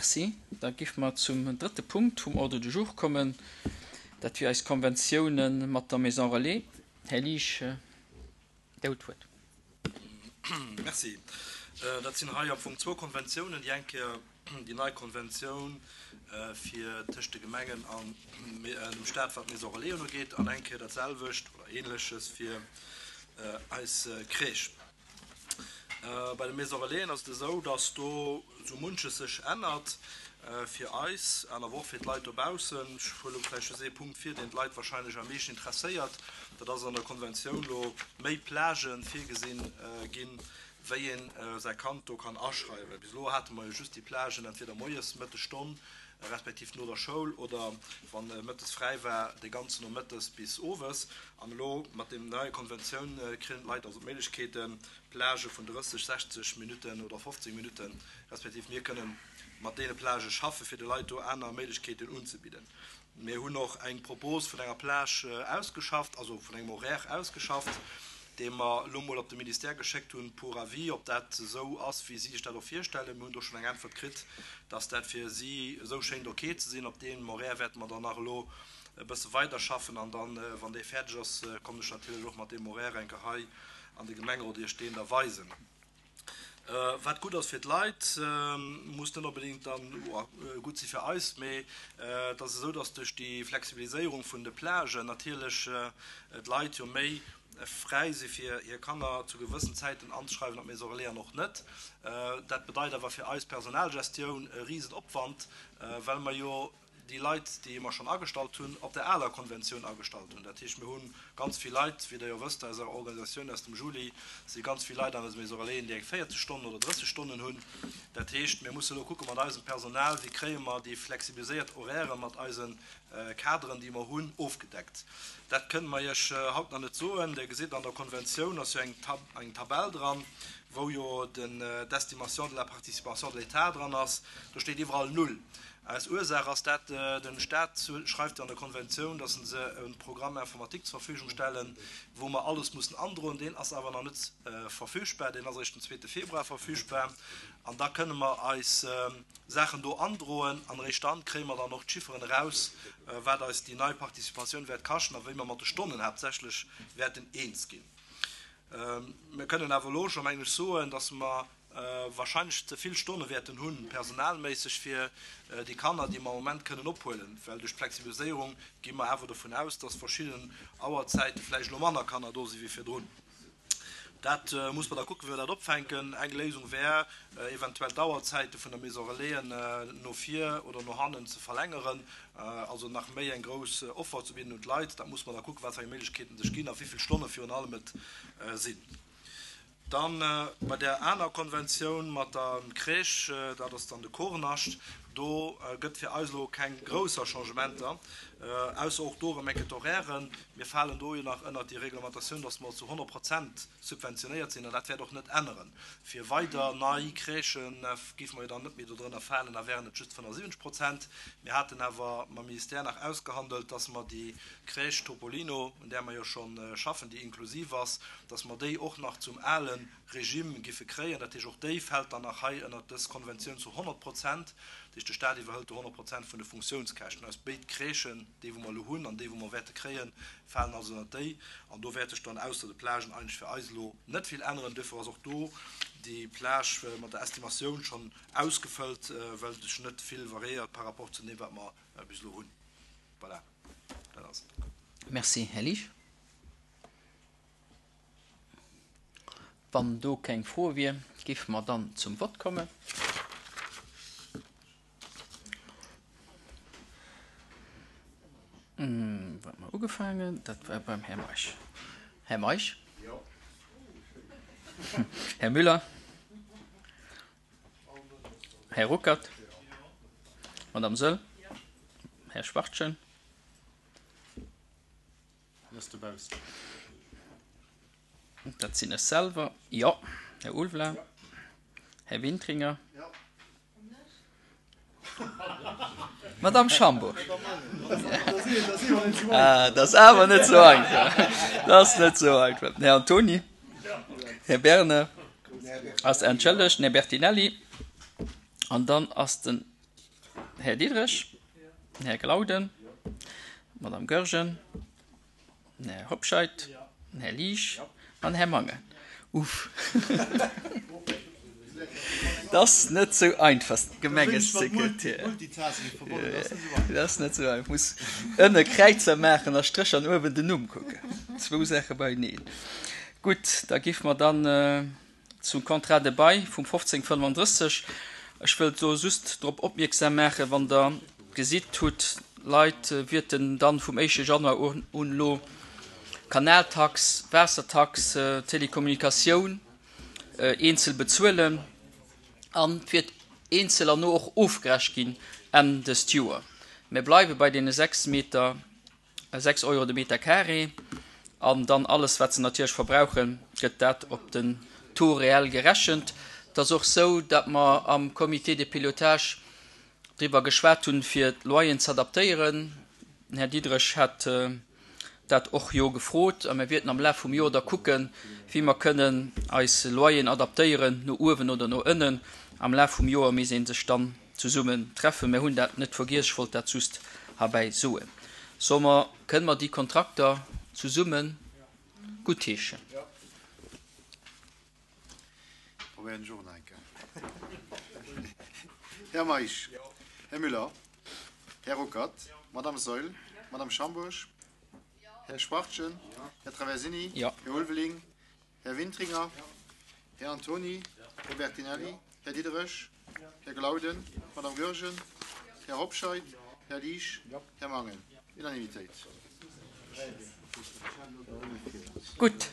Merci. Da géife mer zum drëtte Punkt vum Ordre du jour kommen. Dat wier eis Konventiounen mat der Maison Relais. Här Liesch, Dir hutt d'Wuert. Merci. Dat sinn hei am Fong zwou Konventiounen. Déi eng Kéier déi nei Konventioun fir tëscht de Gemengen an dem Stat, wat d'Maison Relais ugeet, an eng Kéier dat selwecht oder Ähnleches fir eis Crèche. Bei de Maison Relaisen ass et esou, dass do esou munches sech ännert fir eis an awer och fir d'Leit dobaussen. Ech huele vläicht just ee Punkt vir, deen d'Leit wahrscheinlech am meeschten interesséiert. Dat ass an der Konventioun elo méi Plagen virgesinn ginn, wéi ee säi Kand do kann aschreiwen. Bis elo hate mer jo just déi Plagen entweder moies Mëttesstonn respektiv no der Schoul oder wann mëttes fräi war, de ganzen Nomëttes bis owes. An elo mat deem neie Konventioun kréien d'Leit also d'Méiglechkeeten, Plagë vun 30, 60 Minutten oder 15 Minutten, respektiv mir kënnen mat deene Plagë schaffe fir de Leit do aner Méiglechkeeten unzebidden. Mir hunn och eng Propos vun enger Plage ausgeschafft, also vun engem Horaire ausgeschafft, dee mer elo mol op de Ministère geschéckt hunn pour avis, ob dat esou ass, wéi si sech dat och virstellen. Mir hunn do schonn eng Äntwert kritt, dass dat fir si esou schéngt ok ze sinn. Op deem Horaire wäerte mer dann nach elo e bësse weiderschaffen an dann, wann dee fäerdeg ass, kommen ech natierlech och mat deem Horaire eng Kéier hei an de Gemengerot Iech deen da weisen. Wat gutt ass fir d'Leit, muss net onbedéngt dann gutt si fir eis, mee et ass esou, datt duerch déi Flexibiliséierung vun de Plagen natierlech d'Leit jo méi fräi si fir hir Kanner zu gewëssen Zäiten anzeschreiwen op Maison Relais an och net. Dat bedeit awer fir eis Personalgestioun e Risenopwand, well mer jo déi Leit, déi mer schonn agestallt hunn, op der aler Konventioun agestallt hunn. Dat heescht, mir hu ganz vill Leit, wéi Der jo wësst aus Ärer Organisatioun aus dem Juli, si ganz vill Leit an eise Maison Relaisen, déi eng 40 Stonnen oder 30 Stonnen hunn. Dat heescht, mir musse elo kucke mat eisem Personal, wéi kréie mer déi flexibiliséiert Horairë mat eise Kaderen, déi mer hunn, ofgedeckt. Dat kënne mer Iech haut nach net soen. Dir gesitt, an der Konventioun ass jo eng Tabell dran, wou jo d'Estimation de la participation de l'État dran ass. Do steet iwwerall null. Aus Ursaach ass dat, den Staat schreift jo an der Konventioun, dass en se e Programme informatique zur Verfügung stellen, wou mer alles mussen androen. Deen ass awer nach net verfügbar, deen ass eréischt den zweete Februar verfügbar. An da kënne mer eis Saachen do androen an eréischt dann kréie mer dann och d'Chifferen eraus, wat eis déi nei Participatioun wäert kaschten a wéi mer mat de Stonnen haaptsächlech wäerten eens ginn. Mir kënnen awer elo scho, mengen ech, soen, dass mer wahrscheinlech ze vill Stonne wäerten hunn, personalméisseg, fir déi Kanner, déi mer am Moment kënnen ophuelen, well duerch d'Flexibiliséierung gi mer awer dovun aus, dass verschidden Auerzäite vläicht elo manner Kanner do si wéi virdrun. Dat muss mer da kucken, wéi mer dat opfänken. Eng Léisung wär, eventuell d'Auerzäite vun der Maison Relaisen no vir oder no hannen ze verlängeren, also nach méi eng grouss Offer ze bidden un d'Leit. Dat muss mer da kucken, wat fir eng Méiglechkeeten sech ginn a wéi vill Stonne virun allem et sinn. Dann bei där aner Konventioun mat der Crèche, dat ass dann de Kornascht, do gëtt fir eis elo keng grousser Changementer, ausser och do erëm eng Kéier d'Horairen. Mir falen do jo nach ënnert déi Reglementatioun, dass mer zu 100 Prozent subventionéiert sinn, an dat wäert och net änneren. Fir weider nei Crèchë géife mer jo dann net méi dodrënner falen, da wären et just 75 Prozent. Mir haten awer mam Ministère nach ausgehandelt, dass mer déi Crèche Topolino, un där mer jo scho schaffen, déi inklusiv ass, dass mer déi och nach zum ale Regime giffe kréien. Dat heescht, och déi fält dann nach hei ënnert dës Konventioun zu 100 Prozent. Dat heescht, de Stat iwwerhëlt do 100 Prozent vun de Funktiounskäschten. Eis béid Crèchen, déi wou mer elo hunn an déi wou mer wäerte kréien, falen also ënnert déi. An do wäert sech dann ausser de Plagen eigentlech fir eis elo net vill änneren. Duerfir ass och do déi Plage mat der Estimatioun schonn ausgefëllt, well sech net vill variéiert par rapport zu deem, wat mer bis elo hunn. Voilà, dat ass et. Merci, Här Liesch. Wann do keng Froe wier, géife mer dann zum Vott kommen. Wou hate mer ugefaangen? Dat war beim Här Meisch. Här Meisch? Jo. Här Müller? Här Ruckert? Madame Söll? Här Schwachtgen? Dat sinn ech selwer. Jo. Här Ulveling? Här Wintringer? Madame Schambourg. Ah, dat ass awer net esou einfach. Dat ass net esou einfach. Här Antoni. Här Bernard ass entschëllegt. Den Här Bertinelli. An dann ass den. Här Diderich, den Här Glauden, d'Madame Goergen, den Här Hobscheit, den Här Liesch an den Här Mangen. Uff. Dat ass net sou einfach, Gemengesekretär. Dat ass net sou einfach. Muss ënne Kräizer maachen a Strécher an uewen den Numm kucken. Zwou Saache beieneen. Gutt, da géife mer dann Zum Contrat de bail vum 1535, Ech wëllt do just drop opmierksam maachen, wann Der gesitt hutt, Leit wierten dann vum éischte Januar un elo Kanaltax, Waassertax, Telekommunikatioun eenzel bezuelen an et wiert eenzel an no och ofgerecht ginn Enn dëst Joer. Mir bleiwe bei deene 6 Meter. 6 Euro de Meter carré an dann alles wat se natierlech verbrauchen, gëtt dat op den Taux réel gerechent. Et ass och sou, datt mer am Comité de pilotage driwwer geschwat hunn, fir d'Loyeren z'adaptéieren. Den Här Diderich hat dat och jo gefrot a mir wierten am Laf vum Joer da kucken, wéi mer kënnen eis Loyeren adaptéieren, no uewen oder no ënnen. Am Laf vum Joer misst ee sech dann zesummen treffen. Mir hunn dat net vergiess, ech wollt dat just herbäi soen. Solle mer, kënne mer déi Kontrakter zesumme guttheeschen? Probéieren ech och nach eng Kéier. Här Meisch, Här Müller, Här Ruckert, Madame Saeul, Madame Schambourg, Här Schwachtgen, Här Traversini, Här Ulveling, Här Wintringer, Här Antony, Här Bertinelli, Här Diderich, Här Glauden, Madame Goergen, Här Hobscheit, Här Liesch, Här Mangen. Unanimitéit. Gutt.